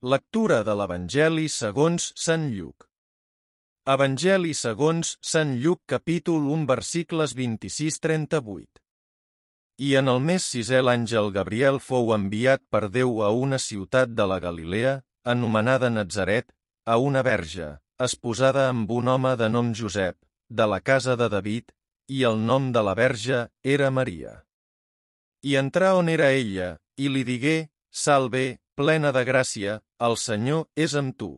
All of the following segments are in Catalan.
Lectura de l'Evangeli segons Sant Lluc. Evangeli segons Sant Lluc capítol 1 versicles 26-38. I en el mes sisè l'àngel Gabriel fou enviat per Déu a una ciutat de la Galilea, anomenada Natzaret, a una verge, esposada amb un home de nom Josep, de la casa de David, i el nom de la verge era Maria. I entrà on era ella, i li digué: Salve, plena de gràcia, el Senyor és amb tu.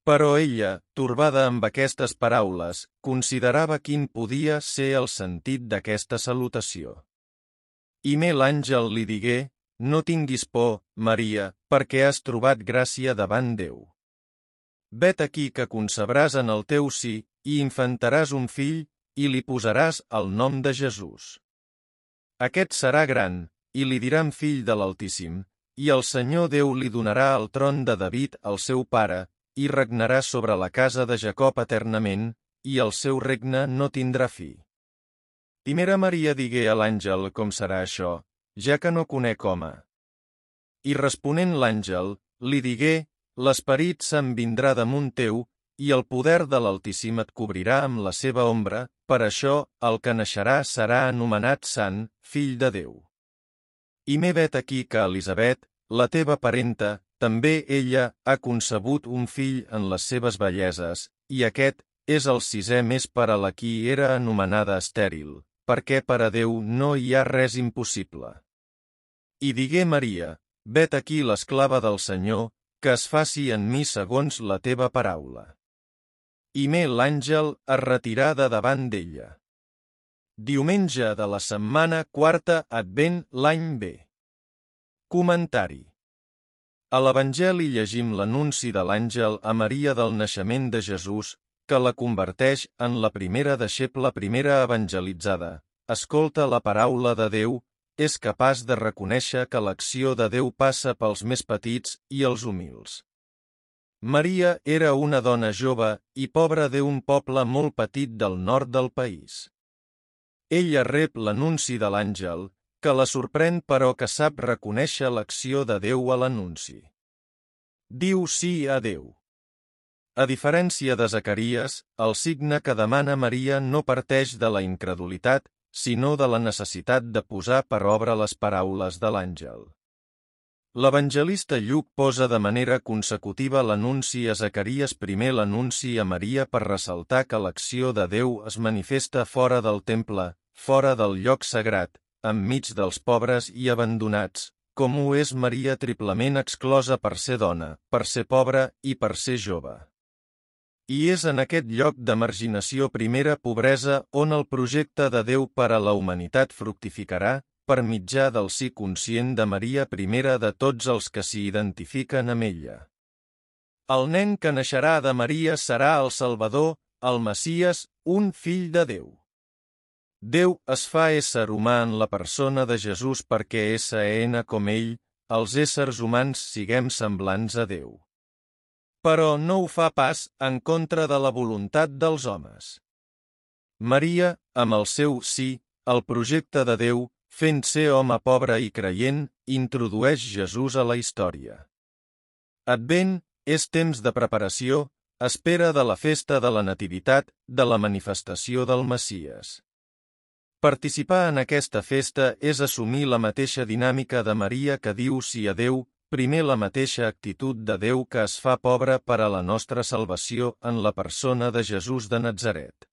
Però ella, torbada amb aquestes paraules, considerava quin podia ser el sentit d'aquesta salutació. I l'àngel li digué: No tinguis por, Maria, perquè has trobat gràcia davant Déu. Vet aquí que concebràs en el teu si, i infantaràs un fill, i li posaràs el nom de Jesús. Aquest serà gran, i li diran fill de l'Altíssim, i el Senyor Déu li donarà el tron de David, el seu pare, i regnarà sobre la casa de Jacob eternament, i el seu regne no tindrà fi. Primera Maria digué a l'àngel: Com serà això, ja que no conec home? I responent l'àngel, li digué: L'Esperit Sant vindrà damunt teu, i el poder de l'Altíssim et cobrirà amb la seva ombra, per això el que naixerà serà anomenat Sant, fill de Déu. I vet aquí que Elisabet, la teva parenta, també ella ha concebut un fill en les seves velleses, i aquest és el sisè mes per a la qui era anomenada estèril, perquè per a Déu no hi ha res impossible. I digué Maria: Vet aquí l'esclava del Senyor, que es faci en mi segons la teva paraula. I l'àngel es retirà de davant d'ella. Diumenge de la setmana quarta Advent l'any B. Comentari. A l'Evangeli llegim l'anunci de l'àngel a Maria del naixement de Jesús, que la converteix en la primera deixebla primera evangelitzada. Escolta la paraula de Déu, és capaç de reconèixer que l'acció de Déu passa pels més petits i els humils. Maria era una dona jove i pobra d'un poble molt petit del nord del país. Ella rep l'anunci de l'àngel, que la sorprèn però que sap reconèixer l'acció de Déu a l'anunci. Diu sí a Déu. A diferència de Zacaries, el signe que demana Maria no parteix de la incredulitat, sinó de la necessitat de posar per obra les paraules de l'àngel. L'evangelista Lluc posa de manera consecutiva l'anunci a Zacaries, primer l'anunci a Maria per ressaltar que l'acció de Déu es manifesta fora del temple, fora del lloc sagrat, enmig dels pobres i abandonats, com ho és Maria triplement exclosa per ser dona, per ser pobra i per ser jove. I és en aquest lloc de marginació, primera pobresa, on el projecte de Déu per a la humanitat fructificarà, per mitjà del sí conscient de Maria, primera de tots els que s'hi identifiquen amb ella. El nen que naixerà de Maria serà el Salvador, el Messies, un fill de Déu. Déu es fa ésser humà en la persona de Jesús perquè com ell, els éssers humans siguem semblants a Déu. Però no ho fa pas en contra de la voluntat dels homes. Maria, amb el seu sí, el projecte de Déu, fent ser home pobre i creient, introdueix Jesús a la història. Advent és temps de preparació, espera de la festa de la Nativitat, de la manifestació del Messies. Participar en aquesta festa és assumir la mateixa dinàmica de Maria que diu sí a Déu, primer la mateixa actitud de Déu que es fa pobre per a la nostra salvació en la persona de Jesús de Natzaret.